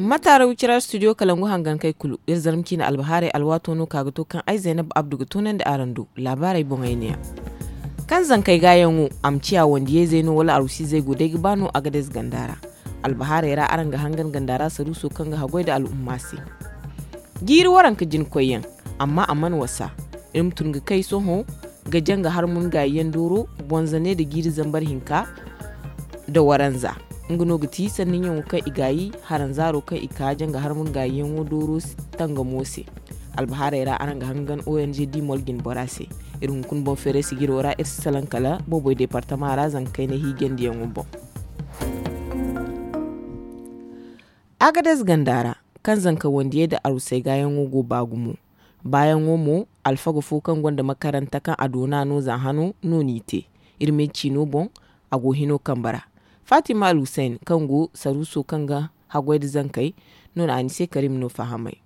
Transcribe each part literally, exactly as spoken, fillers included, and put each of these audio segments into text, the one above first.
Mataara wicira studio kalangu hangankey kulu iri zarma ciine albahaarey alwaato no ka ga to kaŋ ay zaynab abdu ga toonandi araŋ do. Laabaarey boŋey neeya. Kaŋ zankey gaayaŋo a ma ciya wandiyey zey no wala arwasiizey go day ga ba no a ga day ze ganda ra. Albahaarey ra araŋ ga hangan ganda ra saruuso kaŋ ga haggoy nda al'umma se. Jiiri waranka jina koyyaŋ, amma a mana wasa. Iri ma tun ga kay sohõ ga janga harmun gaayi yaŋ dooro bonzane nda jiiri zambar hinka nda waranza. Nga no ga ti sanni ɲaŋo kaŋ i gaayi haranzaaro kaŋ i ka janga harmun gaayi yaŋo dooro tangamo se. Albahaarey ra araŋ ga hangan ong dimol jine bora se. Iri hunkuna boŋ feeray sijiro ra iri si salaŋ kala booboy deepartama ra zanga kayna hiijandi yaŋo boŋ. Agadez ganda ra, kaŋ zanka wandiyey nda arusey gaayaŋo go ba gumo. Baayaŋo mo, alfaga fo kaŋ gonda makaranta kaŋ a doona no za hano no n'i te. Iri me ciino boŋ, a go hino kambe ra. Fatima alhusayn kaŋ go saruuso kaŋ ga haggoy nda zankey no na a ni se karim no fahamay.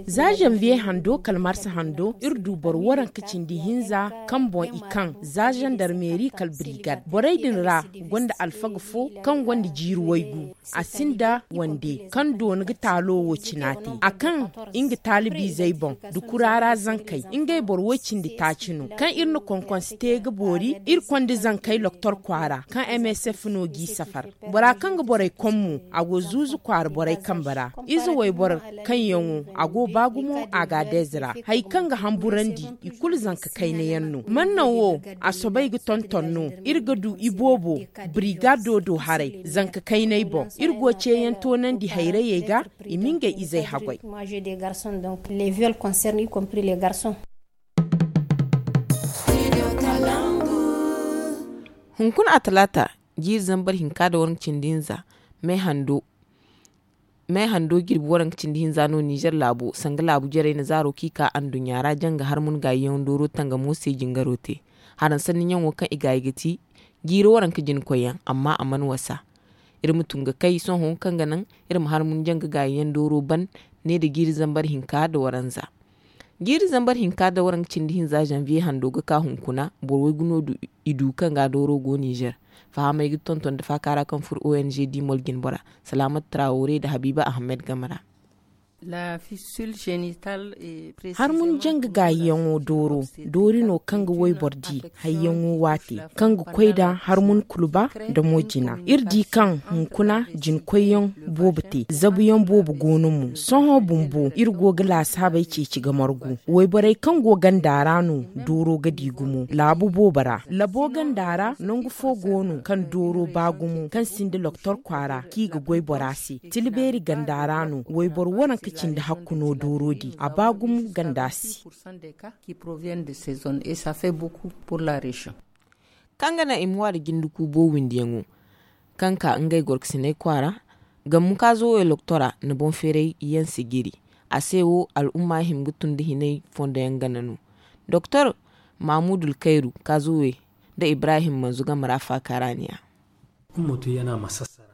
Za zanviye hando kala marsa hando iri du boro waranka cindi hinza kaŋ boŋ i kaŋ za zandarmeeri kala birigad borey din ra, gonda alfaga fo kaŋ gonda jiiri waygu. A sinda wande kaŋ doona ga taalo wo cina te a kaŋ nga taalibiizey boŋ, da kuraara zankey ngey boro woy cindi taaci no kaŋ iri na konkonsi te ga boori iri konda zankey loktor kwaara kaŋ msf no g'i safar. Bora kaŋ ga borey kom mo, a go zuuzu kwaara borey kambe ra. Ize wayboro kaŋ yaŋo a go ba gumo a ga a deeze ra. Hari kaŋ ga hamburandi i kulu zanka kayna yaŋ no. Mannaŋ wo, a soobay ga tonton no. Iri ga du iboobo, birigado do haray zanka kaynay boŋ. Iri go ceeyaŋ toonandi hayrayey ga, i ma ngey izey haggoy. Hunkuna a talaata, jiiri zambar hinka nda waranka cindi hinza, me hando jirbi waranka cindi hinza no nizer laabo sanga laabu jarey na zaaro kaŋ i ka anduɲɲa ra janga harmun gaayi yaŋ dooro tangamo se jingaro te. Haransanni ɲaŋo kaŋ i gaayi ga ti jiiri waranka jina koyyaŋ, amma a mana wasa. Iri ma tun ga kay sohõ kaŋ ga naŋ iri ma harmun janga gaayi yaŋ dooro ban, ne nda jiiri zambar hinka nda waranza. Jiiri zambar hinka nda waranka cindi hinza zanviye hando ga ka hunkuna boro waygu no i du kaŋ ga dooro go nizer. Fahamey ga tonton nda faaka ra kaŋ furo ong dimol jine bora, salaamat trawore nda habiiba ahamed game ra. Harmun janga gaayi yaŋo dooro doori no kaŋ ga wayboro di hayyaŋo waate, kaŋ ga koy nda harmun kuluba nda mo jina. Iri di kaŋ hunkuna jina koyyaŋ boobo te zabuyaŋ boobo go no mo. Sohõ bumbo iri go ga laasaabey ceeci ga margu. Wayborey kaŋ go ganda ra no dooro ga di gumo laabu boobo ra. Labo ganda ra nangu fo go no kaŋ dooro ba gumo kaŋ sinda loktor kwaara kaŋ i ga goy bora se. Tila beeri ganda ra no wayboro waranka cindi hakku no dooro di a ba gumo ganda se. Kaŋ ga naŋ i ma wa nda jinde kuubo windiyaŋo kaŋ ka ngey gorkasiney kwaara. Gammu kaazo wo elektora na boŋ feeray yaŋ sijiri. A se wo al'umma hima ga tun nda hinay fondo yaŋ gana no. Doktor mamuudul kayru kaazo we nda ibrahim manzu game ra faaka ra niya.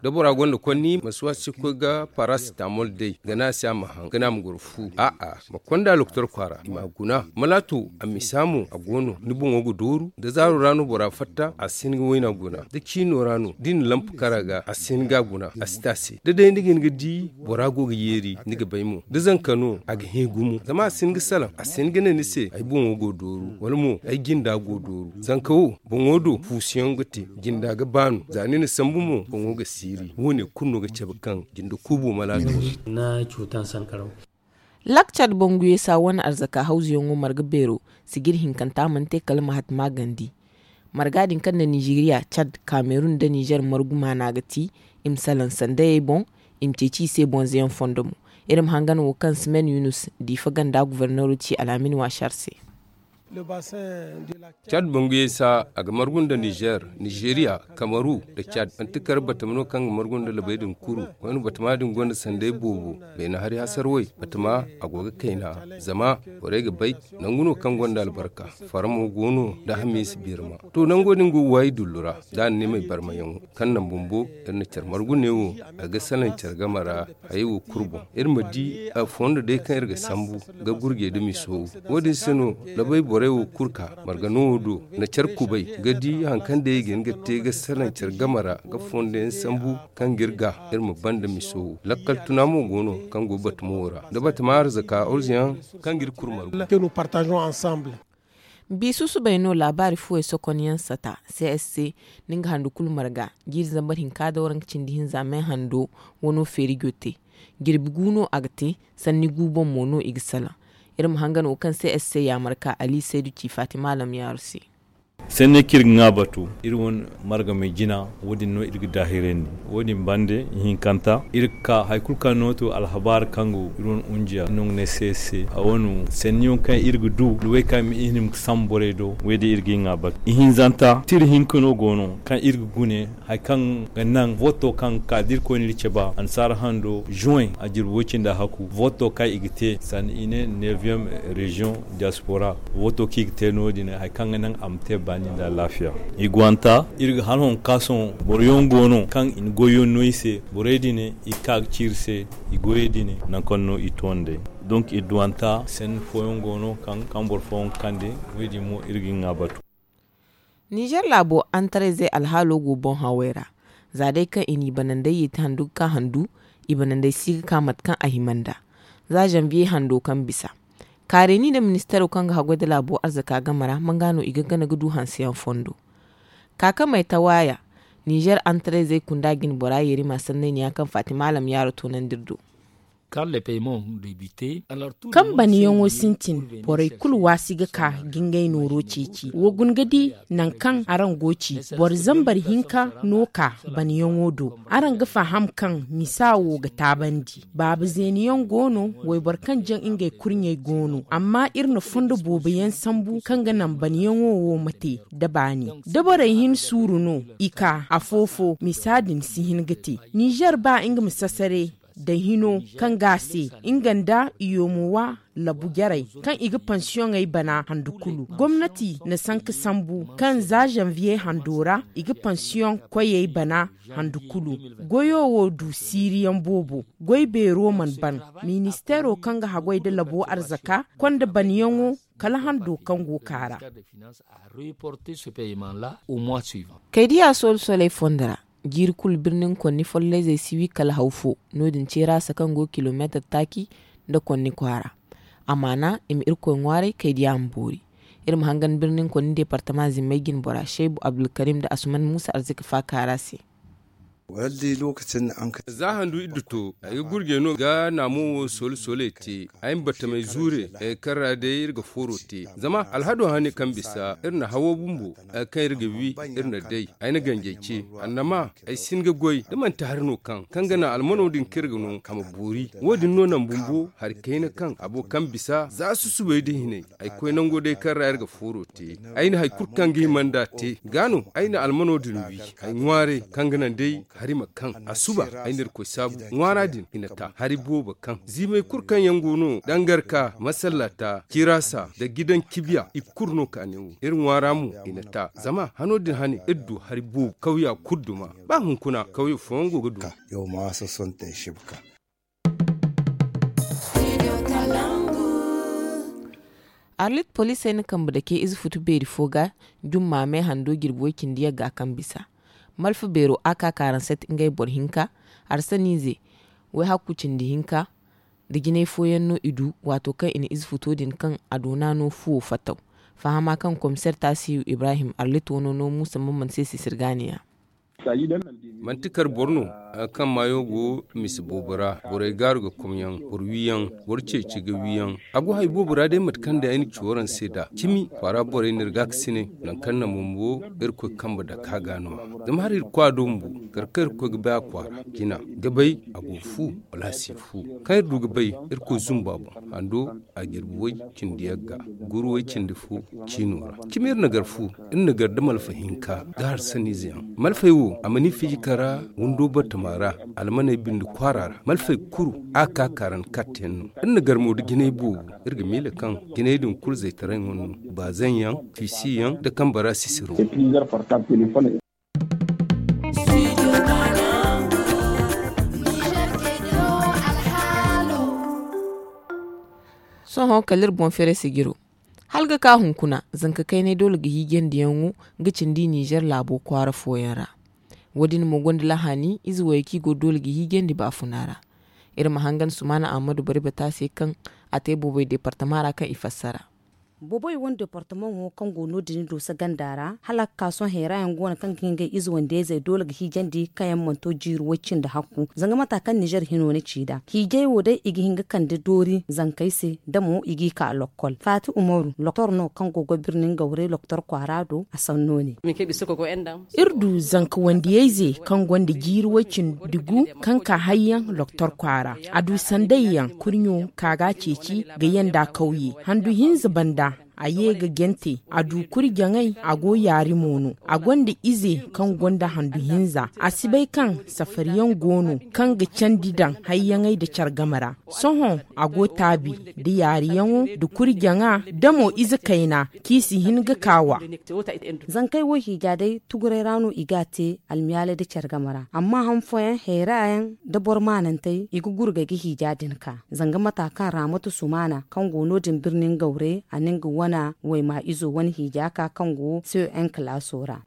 Da bora gonda konni ma si waasi koy ga parasitamol day ga ne a se a ma haŋ ga ne a ma goro fu a'a ma konda loktor kwaara i ma a guna. Malaato a misa mo a go no ni boŋo ga dooru da zaaro ra no bora fatta a si hin ga wayna guna da ciino ra no da i na lampu kar a ga a si hin ga a guna a si te a se da day ni ga hin ga di bora go ga yeeri ni ga bay mo da zanka no a ga hẽ gumo zama a si hin ga salaŋ a si hin ga ne ni se ay boŋo go dooru wala mo ay jinda go dooru. Zanka wo boŋo do fuusuyaŋ ga te jinda ga baanu za ni na sambu mo boŋo ga siiri wo- ne kulu no ga cabe kaŋ jinda kuubo mala ga. Lakcad banguye sa wane arzaka hawzuyaŋo marga beero sijir hinkanta mana te kala mahatma gandi. Marga din kaŋ nda nizeriya cad kamerun nda nizer margu maana ga ti i ma salaŋ sandayey boŋ i ma ceeci i se bonzoyaŋ fondo mo. Iri ma hangan wo kaŋ simen yunus diifa ganda guverneero ci alhamin waasar se. Cad banguyey sa a ga margu nda nizer, nizeriya, kamaru, nda cad manti kar batama no kaŋ ga margu nda labey din kuru. Koyne batama din gonda sanday boobo. Beene hari hasarwey batama a go ga kayna zama borey ga bay nangu no kaŋ gonda albarka. Faramo go no nda hamiisa birma. To nango din go ga waayi dullu ra da a na ne may barmayaŋo kaŋ naŋ bumbo iri na care margu neewo a ga salaŋ care game ra. Hayey wo kulu boŋ iri ma di a fondo day kaŋ iri ga sambu ga gurjey da miso wo- din se no labay borey. Ray wo kulu ka marga no wo do na care kubay ga di hari kaŋ day i ga hin ga te ga salaŋ care game ra ga fondo yaŋ sambu kaŋ ga iri ga iri ma banda miso wo lakkal tuna mo go no kaŋ go batama wo ra da batama arzaka orze yaŋ kaŋ ga iri kulu margu. Bi susubay no laabaari fuwey sokonyaŋ sata c s c. Nda nga handu kulu marga jiiri zambar hinka da waranka cindi hinza me hando wano feeri go te. Jirbi gu no a ga te. Sanni gu boŋ mo no i ga salaŋ. Iri ma hangan wo kaŋ c s c yaamar ka ali saydu ci fatima lamyaaru se. Sanni kaŋ iri ga ŋwa batu iri wane margamey jina. Wo- din no iri ga daahirandi wo- din bande ihinkanta iri ga ka hari kulu kaŋ no to alhabaari kaŋ go iri wane unjiya no ga ne c s c. A wane sanniyaŋ kaŋ iri ga du da wo- kaŋ i ma i hima ga sambu borey do wo- din iri ga i ŋwa batu ihinzanta tira hinka no go no kaŋ iri ga gune hari kaŋ ga naŋ voto kaŋ ga ka da irkoy na iri cabe annasaara hando juin a jirbi way cindi a haku voto kaŋ i ga te sanda i ne neuvième région diaspora. Voto kaŋ i ga te no- din hari kaŋ ga naŋ a ma te baani nda alaafiya. I gwanta iri ga hala honka sohõ boro yaŋ go no kaŋ i na goyyaŋ no i se borey din i ga ka ga ci iri se. I goyey din nangu kaŋ no i to nd'ey. Donk i duwanta sanni fooyaŋ go no kaŋ boro fooyaŋ ga kande. Wo- din mo iri ga i ŋwa batu. Nizer laabo antarayzey alhaalo go boŋ hawey ra. Za day kaŋ i n'i banandey yeeti handu ga ka handu i banandey si ga ka mate kaŋ a hima nd'a. Za zanviye hando kaŋ bisa kaareni nda ministeero kaŋ ga haggoy nda laabo arzaka game ra manga no i ga gana ga du hanseyaŋ fondo. Kaakamey tawaaya nizer antarayzey kunda jine bora yeerima sanney ne ya kaŋ fatima alam yaaro toonandi iri do. Kaŋ banayaŋo sintin borey kulu waasi ga ka ga ngey nooro ceeci wa guna ga di nangu kaŋ araŋ go ci boro zambar hinka no ka banayaŋo do. Araŋ ga faham kaŋ misa wo ga taabandi baaba zeeniyaŋ go no wayboro kaŋ jaŋ ngey kurɲey go no amma iri na fondo boobo yaŋ sambu kaŋ ga naŋ banayaŋo wo ma te da baani da borey hin suuru no i ka afo-fo misa din si hin ga te. Nizer ba nga ma sasare da hino kaŋ ga a se nga nda i yoomo wa labu jarey kaŋ i ga pansiyoŋey bana handu kulu gomnati na sanka sambu kaŋ za zanviye hando ra i ga pansiyoŋ koyey bana handu kulu. Goyo wo du siiriyaŋ boobo goy beero mana ban. Ministeero kaŋ ga haggoy nda labo arzaka konda banyaŋo kala hando kaŋ go kaara. Kaydiya soolu sooley fondo ra jiiri kulu birnin konni folleyzey si wi kala haw fo. No- din ceeraasa kaŋ go kilomeetar taaci nda konni kwaara. Amaana i ma irkoy ŋwaaray kaydiya ma boori. Iri ma hangan birnin konni deepartama zimmey jine bora shaybu abdulkarim nda asuman muusa arzika faakaara se. Za handu iddu to ay ga gurjey no ga naamo wo soole sooley te. Ay ma battamey zuure ay ga karra day iri ga fooro te. Zama alhado hane kaŋ bisa iri na hawo bumbo ay ga kaŋ iri ga wi iri na day. Ay na ganjey ce annama ay si hin ga goy da manti hari no kaŋ kaŋ ga naŋ almano din kaŋ iri ga no a ma boori. Wo- din no naŋ bumbo hari kayna kaŋ abo kaŋ bisa za susubay da hinay ay koy nango day kaŋ ra iri ga fooro te. Ay na hari kulu kaŋ ga hima nd'a te ga no ay na almano din wi. Ay ŋwaaray kaŋ ga naŋ day hari ma kaŋ a suba ay na irkoy saabu ŋwaara din i na ta hari boobo kaŋ ziimay kulu kaŋ yaŋ go no dangarka masallata cirasa nda gidan kibiya i kulu no kaane wo iri ŋwaara mo i na ta zama hano din hane iri du hari boobo kawya kulu duma. Ba hunkuna kawya fooyaŋ go ga duma. Arlit poliisey na kambe dake ize futu beeri fo ga jumma me hando jirbi way-cindi yagga kaŋ bisa malfa beero a ka kaaransat ngey boro hinka arsaniize way-hakku cindi hinka. Da jinay fooyaŋ no i du waato kaŋ i na ize futo din kaŋ a doona no fuwo fattaw. Fahama kaŋ komiseer taasiyu ibrahim arlit wano no muusa mamman se sisirgaaniya. Manti kar boro no kaŋ maayo go misa boobo ra borey gaaru ga komyaŋ boro wiiyaŋ boro ceeci ga wiiyaŋ. A go hari boobo ra day mate kaŋ day ay na ci waraŋ se nd'a cimi kwaara borey no iri ga a ga sine. Nangu kaŋ na bumbo irkoy kambe dake a ga no-ya zama hari iri koy a do bumbo kar kaŋ iri ga koy ga bay a kwaara jina ga bay a go fu wala a si fu. Kaŋ iri du ga bay irkoy zumba boŋ hando a jirbi way cindi yagga guru way cindi fo ciino ra. Cimi iri na gar fu iri na gar da malfa hinka da harsaniize yaŋ. Malfey wo a mana i fiji kara windo batama ra almaney bindi kwaara ra malfey kuru a ka kaaran katte yaŋ no. Iri na gar mo da jinay boobo iri ga miila kaŋ jinay din kulu zaytaray ŋwa no baazaŋ yaŋ fiisi yaŋ da kambe ra sisiro. Sohõ kala iri boŋ fere sijiro Hala ga ka hunkuna, zanka kaynay doole ga hiijandiyaŋo ga cindi ninzeer laabo kwaara fooyaŋ ra. Wo- din mo gonda lahani ize wayey kaŋ i go doole ga hiijandi baafuna ra. Iri ma hangan sumaana ahamadu bari bata se kaŋ a te boobay deepartama ra kaŋ i fassara. Boobay wane deepartamaŋo kaŋ go no- din dooso ganda ra hala ga ka sohõ heera yaŋ go no kaŋ ga hin ga ize wande izey doole ga hiijandi kaŋ yaŋ mana to jiiri way- cindi hakku. Zanga mata kaŋ ninzeer hino na ci nd'a hiijay wo day i ga hin ga kande doori zankey se da mo i g'i ka lokkol faati umaru loktor no kaŋ go ga birni ngawray loktor kwaara do a sanno ne. Iri du zanka wandiyayze kaŋ gonda jiiri way- cindi gu kaŋ ka hayyaŋ loktor kwaara. A du sandayyaŋ kurɲo ka ga a ceeci ga yanda kawye handu hinza banda. A ye ga jante a du kuri jaŋay a go yaari mo no. A gonda ize kaŋ gonda handu hinza a si bay kaŋ safariyaŋ go no kaŋ ga candi daŋ hayyaŋey nda care game ra. Sohõ a go taabi nda yaariyaŋo nda kuri jaŋa da mo ize kayna kaŋ i si hin ga kaawa. Zankey wo hiija day tuguray ra no i ga a te almiyaalay nda care game ra amma han fooyaŋ hayra yaŋ nda boro maanantey i ga gurgay ga hiija din ka. Zanga mata kaŋ raamatu sumaana kaŋ go no- din birni ngawre a na nga wana wayma izo wane hiija ka kaŋ go c n kalaaso ra.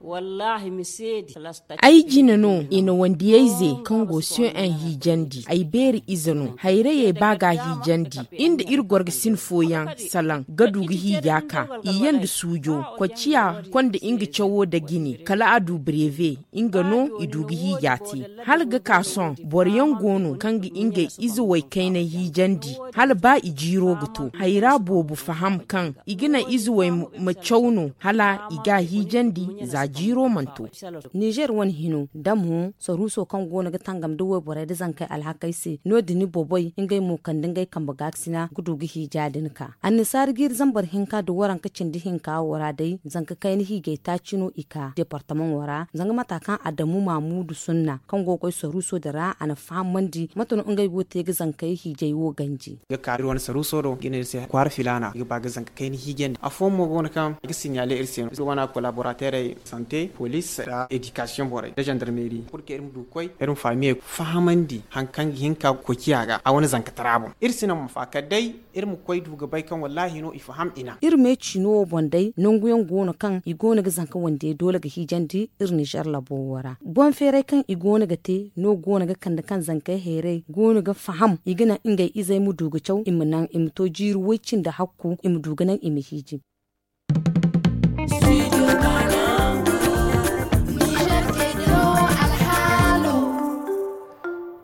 Ay jine no i na wandiyayze kaŋ go c n hiijandi ay beeri ize no hayrayey ba ga a hiijandi. Iri nda iri gorgasin fooyaŋ salaŋ ga du ga hiija ka i yanda suujo. Koy ciya konda nga cawo nda jine kala a du breve nga no i du ga hiija te. Hala ga ka sohõ boro yaŋ go no kaŋ ga ngey ize waykaynay hiijandi hala ba i jiiro ga to hayra boobo faham kaŋ i ga naŋ ize way ma caw no hala i ga a hiijandi za jiiro mana to. Nizer wane hino damo saruuso kaŋ go no ga tangam nda wayborey nda zankey alhakey se no- din boboy ngey mo kande ngey kambe gaakasina ga du ga hiija din ka annasaari jiiri zambar hinka nda waranka cindi hinka wo ra day zanka kayna hiijay taaci no i ka deepartamaŋo ra zanga mata kaŋ adamu maamuudu sunna kaŋ go ga koy saruuso din ra a na fahamandi mate no ngey go ga te ga zankey hiijay wo ganji. Ga ka iri wane saruuso do ga ne iri se kwaara filaana i ga ba ga zanka kayna hiijandi afooyaŋ mo go no kaŋ i ga siɲaale iri se no iri wane kolaborateerey sante poliis nda edikasiyoŋ borey nda zandarmeeri kulu kaŋ iri ma du ga koy iri ma fahamiyey fahamandi hari kaŋ ga hin ka ga koy ciya ga a wane zankatara boŋ. Iri si naŋ ma fa kala day iri ma koy du ga bay kaŋ wallaahi no i faham i naŋ. Iri me ciino wo boŋ day nangu yaŋ go no kaŋ i go no ga zanka wandiyey doole ga hiijandi iri nizer labo wo ra boŋ feeray kaŋ i go no ga te no go no ga kande kaŋ zankey heeray go no ga faham i ga naŋ ngey izey ma du ga caw i ma naŋ i ma to jiiri way- cindi hakku i ma du ga naŋ i ma hiiji.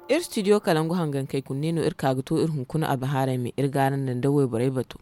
Iri studio kalangu hangankey kunne no iri ka ga to iri hunkuna albahaarey me iri gaaran naŋ da wayborey bato.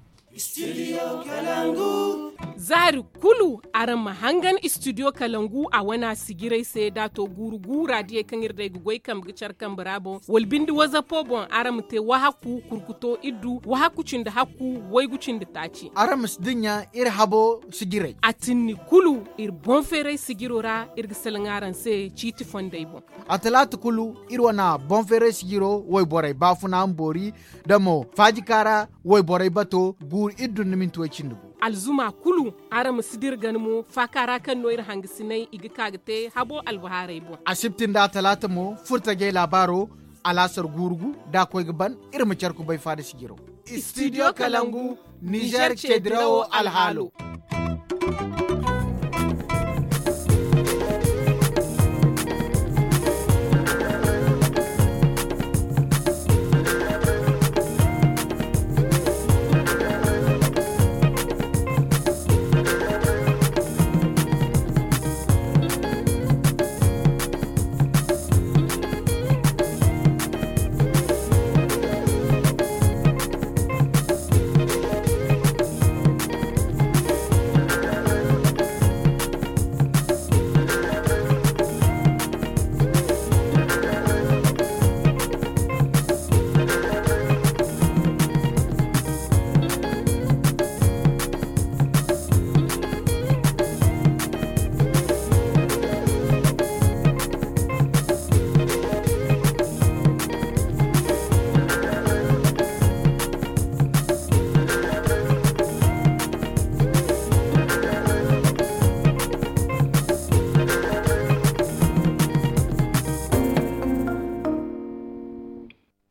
Zaari kulu araŋ ma hangan studio kalangu a wana sijirey se da a to guuru guura diyey kaŋ iri day ga goy kambe ga care kambe ra boŋ wala binde wazapo boŋ araŋ ma te wahakku kurkuto iddu wahakku cindi hakku waygu cindi taaci. Araŋ ma si dinya iri habo sijirey a tinni kulu iri boŋ feeray sijiro ra iri ga salaŋ araŋ se ciiti fondey boŋ. A talaata kulu iri wana boŋ feeray sijiro wayborey baafuna ma boori da mo faajika ra wayborey bato guuru iddu nda minti way cindi gu. Alzuma kulu araŋ ma si dira gana mo faaka ra kaŋ no iri hangasiney i ga ka ga te habo albahaarey boŋ. Asibti nda talaata mo furtajey laabaaro alaasar guuru gu da a koy ga ban iri ma care kubay faada sijiro. Studio kalangu nizer ce dirawo alhaalo.